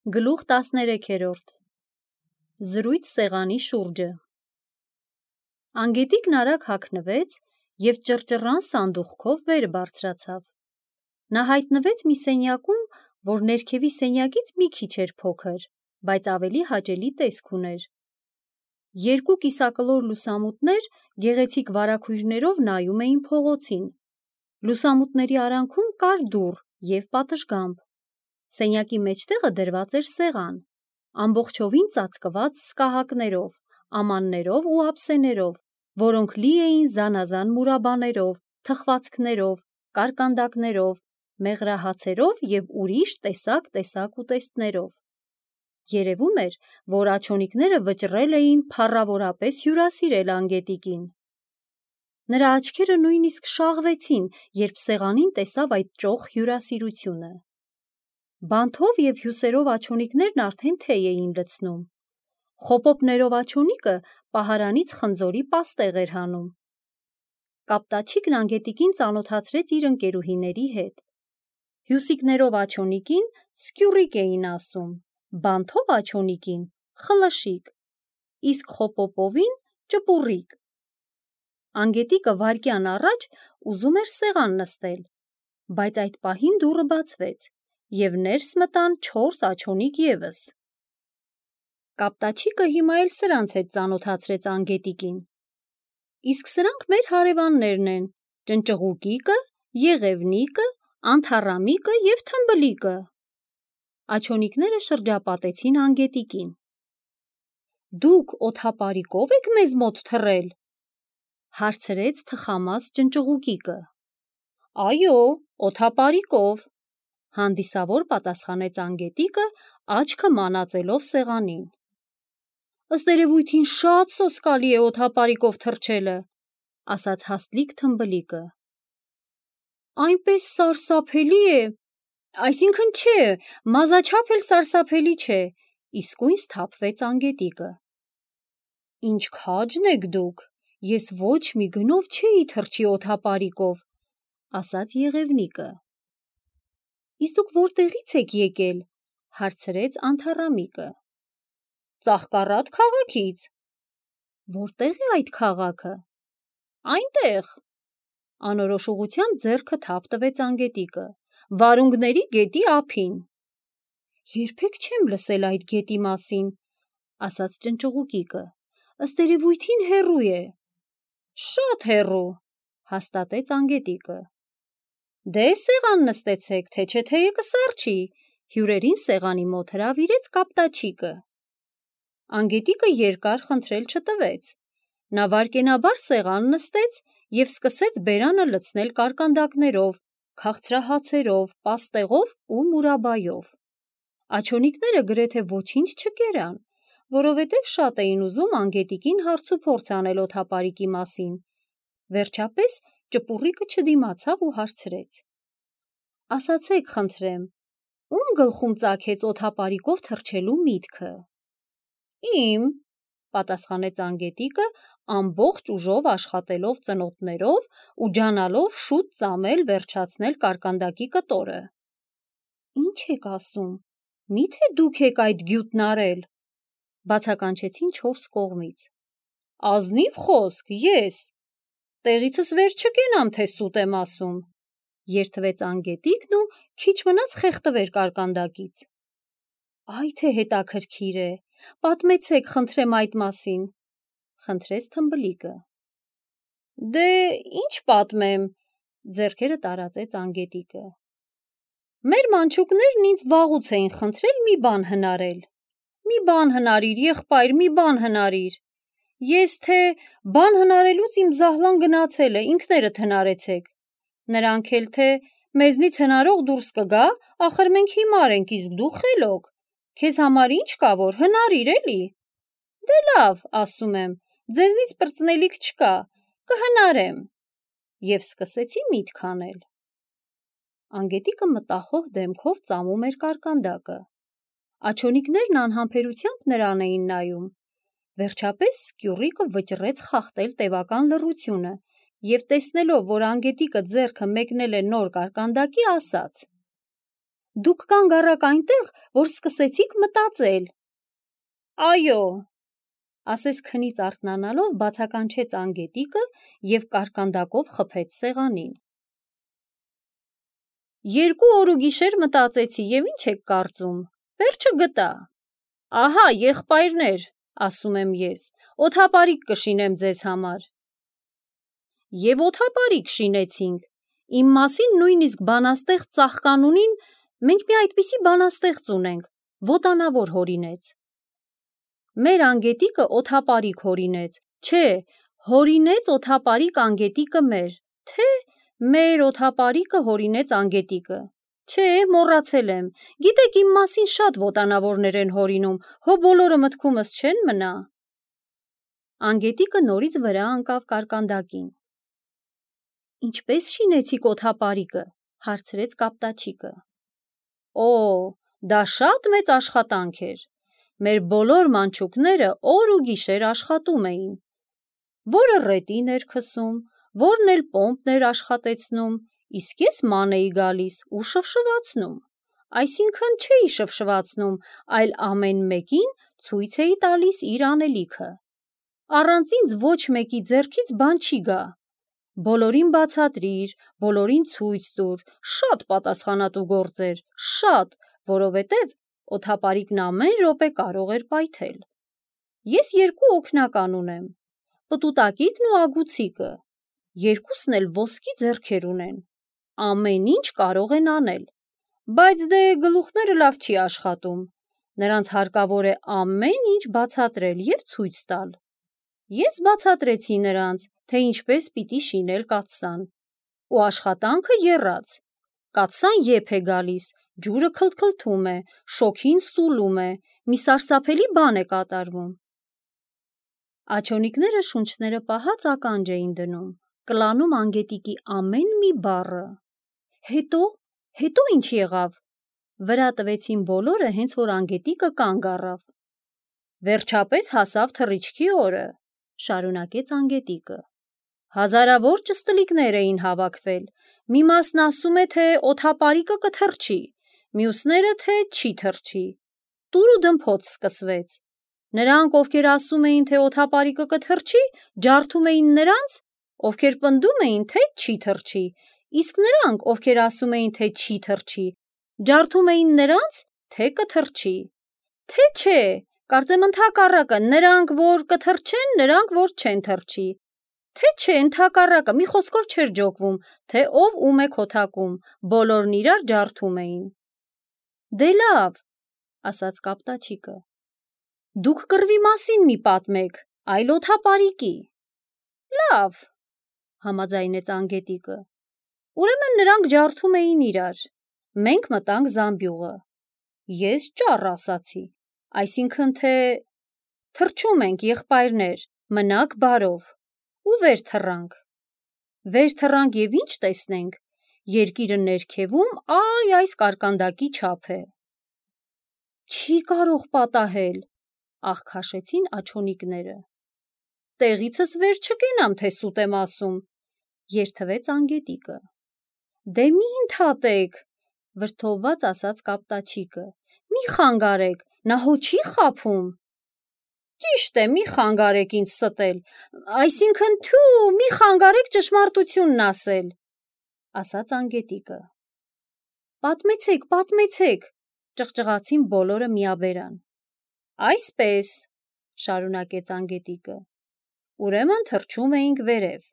Գլուխ 13 Զրույց սեղանի շուրջը Անգետիկն արագ հագնվեց և ճռճռան սանդուղքով վեր բարձրացավ: Նա հայտնվեց մի սենյակում, որ ներքևի սենյակից մի քիչ էր փոքր, բայց ավելի հաճելի տեսք ուներ: Երկու կիսակլոր լուսամուտներ գեղեցիկ վարագույրներով նայում էին փողոցին: Լուսամուտների արանքում կար դուռ և պատշգամբ: Սենյակի մեջտեղը դրված էր սեղան, ամբողջովին ծածկված սկահակներով, ամաններով ու ափսեներով, որոնք լի էին զանազան մուրաբաներով, թխվածքներով, կարկանդակներով, մեղրահացերով և ուրիշ տեսակ ուտեստներով: Երևում էր, որ աջոնիկները վճռել էին փառավորապես հյուրասիրել անգետիկին: Նրա աչքերը նույնիսկ շաղվեցին, երբ սեղանին տեսավ այդ ճոխ հյուրասիրությունը: Բանթով և հյուսերով աջոնիկներն արդեն թեյ էին լցնում: Խոպոպներով աջոնիկը պահարանից խնձորի պաստեղ էր հանում: Կապտաչիկն անգետիկին ծանոթացրեց իր ընկերուհիների հետ: Հյուսիկներով աջոնիկին սկյուռիկ էին ասում, բանթով աջոնիկին խլշիկ, իսկ խոպոպովին ճպուռիկ: Անգետիկը վայրկյան առաջ ուզում էր սեղան նստել, բայց այդ պահին դուռը բացվեց և ներս մտան 4 աջոնիկ ևս: Կապտաչիկը հիմա էլ սրանց հետ ծանոթացրեց անգետիկին: Իսկ սրանք մեր հարևաններն են, ճնճղուկիկը, եղևնիկը, անթառամիկը և թմբլիկը: Աջոնիկները շրջապատեցին անգետիկին: Դուք օդապարիկո՞վ եք մեզ մոտ թռել: Հարցրեց թխամաս ճնճղուկիկը: Այո, օդապարիկով, հանդիսավոր պատասխանեց անգետիկը, աչքը մանածելով սեղանին: Ըստ երևույթին շատ սոսկալի է օդապարիկով թռչելը, ասաց հաստլիկ թմբլիկը: Այնպես սարսափելի է, այսինքն չէ, մազաչափ էլ սարսափելի չէ, իսկույն սթափվեց անգետիկը: Ինչ քաջն եք դուք, ես ոչ մի գնով չէի թռչի օդապարիկով, ասաց եղևնիկը: Իսկ դուք որտեղի՞ց եք եկել, հարցրեց անթառամիկը: Ծաղկառատ քաղաքից: Որտե՞ղ է այդ քաղաքը: Այնտեղ, անորոշ ուղղությամբ ձեռքը թափ տվեց անգետիկը, Վարունգների գետի ափին: Երբեք չեմ լսել այդ գետի մասին, ասաց ճնճղուկիկը, ըստ երևույթին հեռու է: Շատ հեռու, հաստատեց անգետիկը: Դե սեղան նստեցեք, թե չէ թեյը կսառչի, հյուրերին սեղանի մոտ հրավիրեց կապտաչիկը: Անգետիկը երկար խնդրել չտվեց: Նա վայրկենաբար սեղան նստեց և սկսեց բերանը լցնել կարկանդակներով, քաղցրահացերով, պաստեղով ու մուրաբայով: Աջոնիկները գրեթե ոչինչ չկերան, որովհետև շատ էին ուզում անգետիկին հարցուփորձ անել օդապարիկի մասին: Վերջապես ճպուռիկը չդիմացավ ու հարցրեց: Ասացեք խնդրեմ, ում գլխում ծագեց օդապարիկով թռչելու միտքը: Իմ, պատասխանեց անգետիկը, ամբողջ ուժով աշխատելով ծնոտներով ու ջանալով շուտ ծամել վերջացնել կարկանդակի կտորը: Ինչ եք ասում, միթե դուք եք այդ գյուտն արել, բացականչեցին 4 կողմից: Ազնիվ խոսք, ես, տեղիցս վեր չկենամ, թե սուտ եմ ասում, երդվեց անգետիկն ու քիչ մնաց խեղդվեր կարկանդակից: Այ թե հետաքրքիր է, պատմեցեք խնդրեմ այդ մասին, խնդրեց թմբլիկը: Դե ինչ պատմեմ, ձեռքերը տարածեց անգետիկը: Մեր մանչուկներն ինձ վաղուց էին խնդրել մի բան հնարել: Մի բան հնարիր, եղբայր, մի բան հնարիր: Ես թե բան հնարելուց իմ զահլան գնացել է, ինքներդ հնարեցեք: Նրանք էլ թե մեզնից հնարող դուրս կգա, ախր մենք հիմար ենք, իսկ դու խելոք, քեզ համար ինչ կա, որ հնարիր էլի: Դե լավ, ասում եմ, ձեզնից պրծնելիք չկա, կհնարեմ: Եվ սկսեցի միտք անել: Անգետիկը մտախոհ դեմքով ծամում էր կարկանդակը: Աջոնիկներն անհամբերությամբ նրան էին նայում: Վերջապես սկյուռիկը վճռեց խախտել տևական լռությունը և տեսնելով, որ անգետիկը ձեռքը մեկնել է նոր կարկանդակի, ասաց: Դուք կանգ առաք այնտեղ, որ սկսեցիք մտածել։ Այո, ասես քնից արթնանալով բացականչեց անգետիկը և կարկանդակով խփեց սեղանին։ 2 օր ու գիշեր մտածեցի և ինչ եք կարծում, վերջը գտա։ Ահա, եղբայրներ, ասում եմ ես, օդապարիկ կշինեմ ձեզ համար։ Եվ օդապարիկ շինեցինք։ Իմ մասին նույնիսկ բանաստեղծ ծաղկանունին մենք մի այդպիսի բանաստեղծ ունենք, ոտանավոր հորինեց։ Մեր անգետիկը օդապարիկ հորինեց, չէ, հորինեց օդապարիկ անգետիկը մեր, թե մեր օդապարիկը հորինեց անգետիկը։ Չէ, մոռացել եմ, գիտեք իմ մասին շատ ոտանավորներ են հորինում, հո բոլորը մտքումս չեն մնա։ Անգետիկը նորից վրա ընկավ կարկանդակին։ Ինչպես շինեցիք օդապարիկը, հարցրեց կապտաչիկը։ Օ, դա շատ մեծ աշխատանք էր։ Մեր բոլոր մանչուկները օր ու գիշեր աշխատում էին։ Որը ռետին էր քսում, որն էլ պոմպն էր աշխատեցնում, իսկ ես ման էի գալիս ու շվշվացնում։ Այսինքն չէի շվշվացնում, այլ ամեն մեկին ցույց էի տալիս իր անելիքը։ Առանց ինձ ոչ մեկի ձեռքից բան չի գա։ Բոլորին բացատրիր, բոլորին ցույց տուր, շատ պատասխանատու գործ էր, շատ, որովհետև օդապարիկն ամեն րոպե կարող էր պայթել։ Ես 2 օգնական ունեմ, պտուտակիկն ու ագուցիկը, երկուսն էլ ոսկի ձեռքեր ունեն, ամեն ինչ կարող են անել, բայց դե գլուխները լավ չի աշխատում, նրանց հարկավոր է ամեն ինչ բացատրել և ցույց տալ։ Ես բացատրեցի նրանց, թե ինչպես պիտի շինել կաթսան, ու աշխատանքը եռաց։ Կաթսան եփ է գալիս, ջուրը քլթքլթում է, շոգին սուլում է, մի սարսափելի բան է կատարվում։ Աջոնիկները շունչները պահած ականջ էին դնում, կլանում անգետիկի ամեն մի բառը։ Հետո ինչ եղավ։ Վրա տվեցին բոլորը, հենց որ անգետիկը կանգ առավ։ Վերջապես հասավ թռիչքի օրը, շարունակեց անգետիկը։ Հազարավոր ճստլիկներ էին հավաքվել, մի մասն ասում է, թե օդապարիկը կթռչի, մյուսները, թե չի թռչի։ Տուր ու դմփոց սկսվեց։ Նրանք, ովքեր ասում էին, թե օդապարիկը կթռչի, ջարդում էին նրանց, ովքեր պնդում էին, թե չի թռչի, իսկ նրանք, ովքեր ասում էին, թե չի թռչի, ջարդում էին նրանց, թե կթռչի։ Թե չէ, կարծեմ ընդհակառակը, նրանք, որ կթռչեն, նրանք, որ չեն թռչի։ Թե չէ, ընդհակառակը, մի խոսքով չէր ջոկվում, թե ով ում է քոթակում, բոլորն իրար ջարդում էին։ Դե լավ, ասաց կապտաչիկը։ Դուք կռվի մասին մի պատմեք, այլ օդապարիկի։ Լավ, համաձայնեց անգետիկը։ Ուրեմն նրանք ջարդում էին իրար։ Մենք մտանք զամբյուղը։ Ես ճառ ասացի, այսինքն թե թռչում ենք, եղբայրներ, մնաք բարով, ու վեր թռանք։ Վեր թռանք և ինչ տեսնենք, երկիրը ներքևում այս կարկանդակի չափ է։ Չի կարող պատահել, աղքաշեցին աջոնիկները։ Տեղիցս վեր չկենամ, թե սուտ եմ ասում, երդվեց անգետիկը։ Դե մի ընդհատեք, վրդովված ասաց կապտաչիկը, մի խանգարեք, նա հո չի խաբում։ Ճիշտ է, մի խանգարեք ինձ ստել, այսինքն մի խանգարեք ճշմարտությունն ասել, ասաց անգետիկը։ Պատմեցեք, ճղճղացին բոլորը միաբերան։ Այսպես, շարունակեց անգետիկը, ուրեմն թռչում էինք վերև,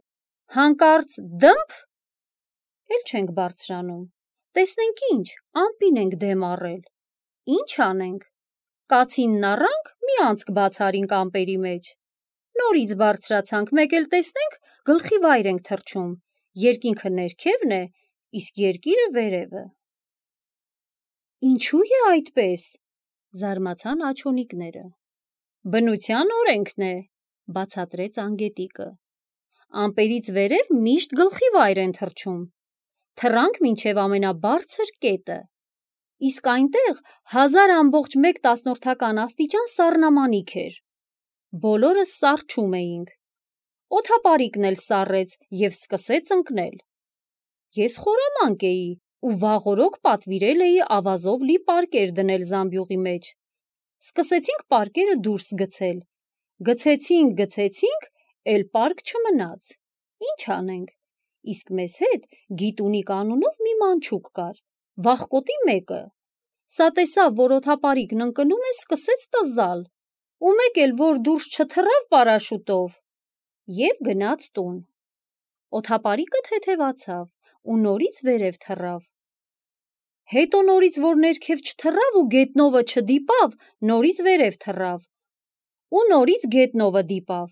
հանկարծ դմփ, էլ չենք բարձրանում, տեսնենք ինչ, ամպին ենք դեմ առել, ինչ անենք, կացինն առանք, մի անցք բացարինք ամպերի մեջ, նորից բարձրացանք, մեկ էլ տեսնենք, գլխի վայր ենք թռչում, երկինքը ներքևն է, իսկ երկիրը վերևը։ Ինչու է այդպես, զարմացան աջոնիկները։ Բնության օրենքն է, բացատրեց անգետիկը։ Ամպերից վերև միշտ գլխի վայր են թռչում։ Թռանք մինչև ամենաբարձր կետը։ Իսկ այնտեղ 1000,1 աստիճան սառնամանիք էր։ Բոլորս սառչում էինք։ Օդապարիկն էլ սառեց և սկսեց ընկնել։ Ես խորամանկ էի, ու վաղօրոք պատվիրել էի ավազով լի պարկեր դնել զամբյուղի մեջ։ Սկսեցինք պարկերը դուրս գցել։ Գցեցինք, էլ պարկ չմնաց։ Ինչ անենք։ Իսկ մեզ հետ Գիտունիկ անունով մի մանչուկ կար, վախկոտի մեկը։ Սա տեսավ, որ օդապարիկն ընկնում է, սկսեց տզալ, ու մեկ էլ, որ դուրս չթռավ պարաշուտով, և գնաց տուն։ Օդապարիկը թեթևացավ ու նորից վերև թռավ։ Հետո նորից, որ ներքև չթռավ ու գետնովը չդիպավ, նորից վերև թռավ ու նորից գետնովը դիպավ։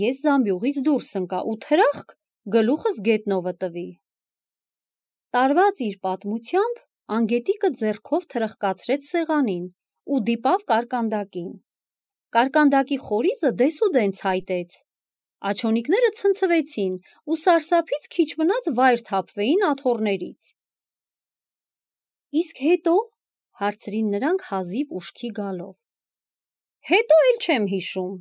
Ես զամբյուղից դուրս ընկա ու թրախկ գլուխս գետնովը տվի։ Տարված իր պատմությամբ Անգետիկը ձեռքով թրխկացրեց սեղանին ու դիպավ կարկանդակին։ Կարկանդակի խորիզը դեսուդեն ցայտեց։ Աջոնիկները ցնցվեցին ու սարսափից քիչ մնաց վայր թափվեին աթոռներից։ Իսկ հետո, հարցրին նրանք հազիվ ուշքի գալով։ Հետո էլ չեմ հիշում։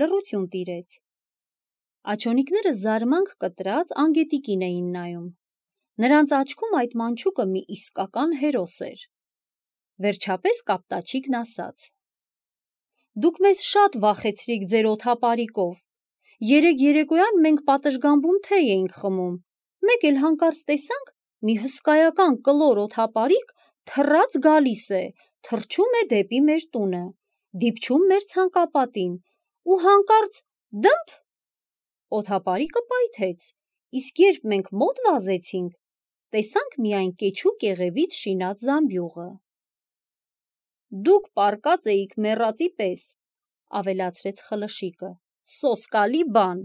Լռություն տիրեց։ Աջոնիկները զարմանք կտրած Անգետիկին էին նայում։ Նրանց աչքում այդ մանչուկը մի իսկական հերոս էր։ Վերջապես Կապտաչիկն ասաց. Դուք մեզ շատ վախեցրիք ձեր օդապարիկով։ Երեկ երեկոյան մենք պատշգամբում թեյ էինք խմում։ Մեկ էլ հանկարծ տեսանք մի հսկայական կլոր օդապարիկ թռած գալիս է, թռչում է դեպի մեր տունը, դիպչում մեր ցանկապատին ու հանկարծ դմփ օդապարիկը պայթեց, իսկ երբ մենք մոտ վազեցինք, տեսանք միայն կեչու կեղևից շինած զամբյուղը։ Դուք պառկած էիք մեռածի պես, ավելացրեց Խլշիկը, սոսկալի բան։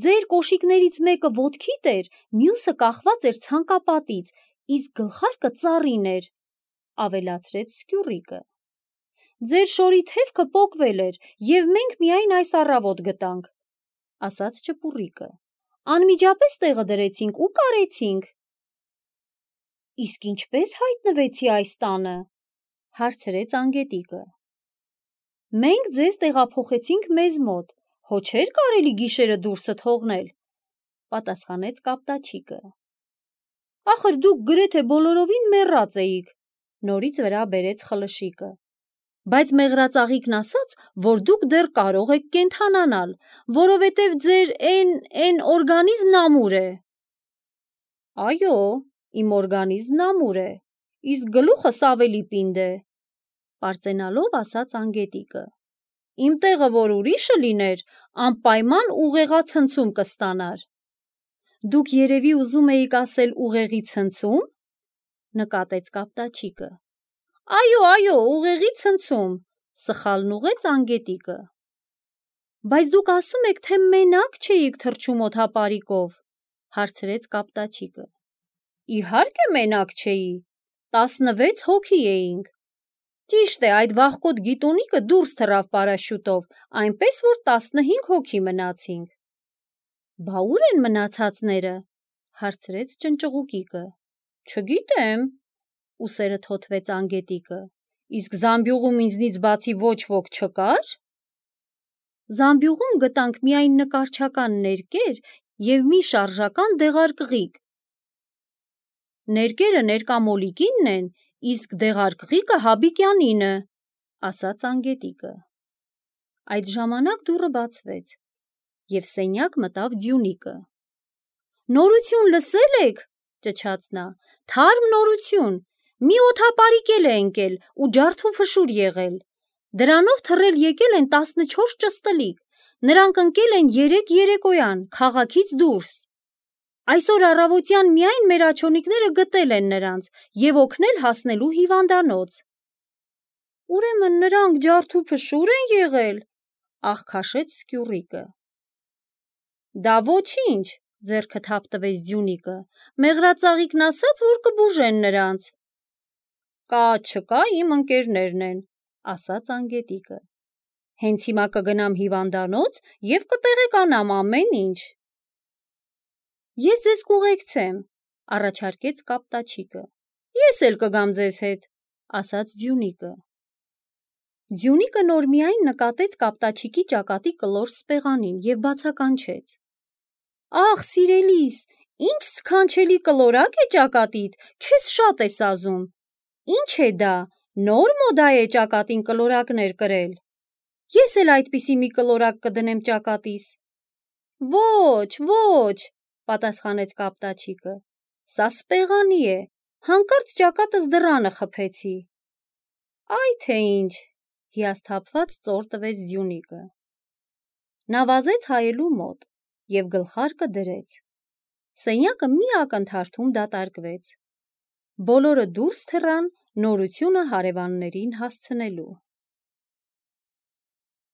Ձեր կոշիկներից մեկը ոտքիդ էր, մյուսը կախված էր ցանկապատից, իսկ գլխարկը ծառին էր, ավելացրեց Սկյուռիկը։ Ձեր շորի թևքը պոկվել էր, և մենք միայն այս առավոտ գտանք, ասաց Ճպուռիկը։ Անմիջապես տեղը դրեցինք ու կարեցինք։ Իսկ ինչպես հայտնվեցի այս տանը, հարցրեց Անգետիկը։ Մենք ձեզ տեղափոխեցինք մեզ մոտ, հո չէր կարելի գիշերը դուրսը թողնել, պատասխանեց Կապտաչիկը։ Ախր դուք գրեթե բոլորովին մեռած էիք, նորից վրա բերեց Խլշիկը։ Բայց մեղրածաղիկն ասաց, որ դուք դեռ կարող եք կենդանանալ, որովհետև ձեր էն օրգանիզմն ամուր է։ Այո, իմ օրգանիզմն ամուր է, իսկ գլուխս ավելի պինդ է, պարծենալով ասաց Անգետիկը։ Իմ տեղը որ ուրիշը լիներ, անպայման ուղեղացնցում կստանար։ Դուք երևի ուզում էիք ասել ուղեղի ցնցում, նկատեց Կապտաչիկը։ Այո, ուղեղի ցնցում, սխալն ուղղեց Անգետիկը։ Բայց դուք ասում եք, թե մենակ չէիք թռչում օդապարիկով, հարցրեց Կապտաչիկը։ Իհարկե մենակ չէի, 16 հոգի էինք։ Ճիշտ է, այդ վախկոտ Գիտունիկը դուրս թռավ պարաշյուտով, այնպես որ 15 հոգի մնացինք։ Բա ուր են մնացածները, հարցրեց Ճնճղուկիկը։ Չգիտեմ, ուսերը թոթվեց Անգետիկը։ Իսկ զամբյուղում ինձնից բացի ոչ ոք չկար։ Զամբյուղում գտանք միայն նկարչական ներկեր և մի շարժական դեղարկղիկ։ Ներկերը Ներկամոլիկինն են, իսկ դեղարկղիկը Հաբիկյանինը, ասաց Անգետիկը։ Այդ ժամանակ դուռը բացվեց, և սենյակ մտավ Ձյունիկը։ Նորություն լսել եք, ճչաց նա, թարմ նորություն, մի օդապարիկ էլ է ընկել ու ջարդուփշուր եղել։ Դրանով թռել եկել են 14 ճստլիկ, նրանք ընկել են երեկ երեկոյան, քաղաքից դուրս։ Այսօր առավոտյան միայն մեր աջոնիկները գտել են նրանց և օգնել հասնելու հիվանդանոց։ Ուրեմն նրանք ջարդուփշուր են եղել, աղքաշեց Սկյուռիկը։ Դա ոչինչ, ձեռքը թափ տվեց Ձյունիկը, մեղրածաղիկն ասաց, որ կբուժեն նրանց։ Կա չկա իմ ընկերներն են, ասաց Անգետիկը։ Հենց հիմա կգնամ հիվանդանոց և կտեղեկանամ ամեն ինչ։ Ես ձեզ կուղեկցեմ, առաջարկեց Կապտաչիկը։ Ես էլ կգամ ձեզ հետ, ասաց Ձյունիկը։ Ձյունիկը նոր միայն նկատեց Կապտաչիկի ճակատի կլոր սպեղանին և բացականչեց. Ախ, սիրելիս, Ինչ սքանչելի կլորակ է ճակատիդ, քեզ շատ է սազում։ Ինչ է դա, նոր մոդա է ճակատին կլորակներ կրել։ Ես էլ այդպիսի մի կլորակ կդնեմ ճակատիս։ Ոչ, պատասխանեց կապտաչիկը, սա սպեղանի է, հանկարծ ճակատս դռանը խփեցի։ Այ թե ինչ, հիասթափված ծոր տվեց Ձյունիկը։ Նա վազեց հայելու մոտ և գլխարկը դրեց։ Սենյակը մի ակնթարթում դատարկվեց։ Բոլորը դուրս թռան նորությունը հարևաններին հասցնելու։